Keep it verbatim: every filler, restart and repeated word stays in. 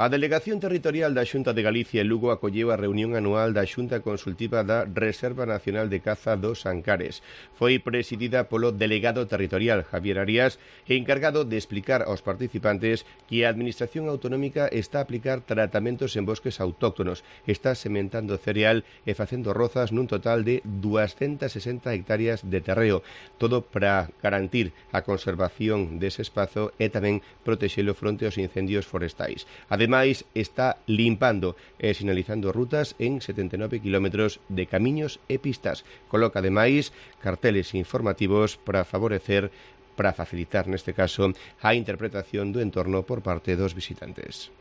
A Delegación Territorial da Xunta de Galicia en Lugo acolleu a reunión anual da Xunta Consultiva da Reserva Nacional de Caza dos Ancares. Foi presidida polo delegado territorial Javier Arias e encargado de explicar aos participantes que a Administración Autonómica está a aplicar tratamentos en bosques autóctonos, está sementando cereal e facendo rozas nun total de dúascentas sesenta hectáreas de terreo, todo para garantir a conservación dese espazo e tamén protexelo fronte aos incendios forestais. Ademais, está limpando e sinalizando rutas en setenta e nove kilómetros de camiños e pistas. Coloca, ademais, carteles informativos para favorecer, para facilitar, neste caso, a interpretación do entorno por parte dos visitantes.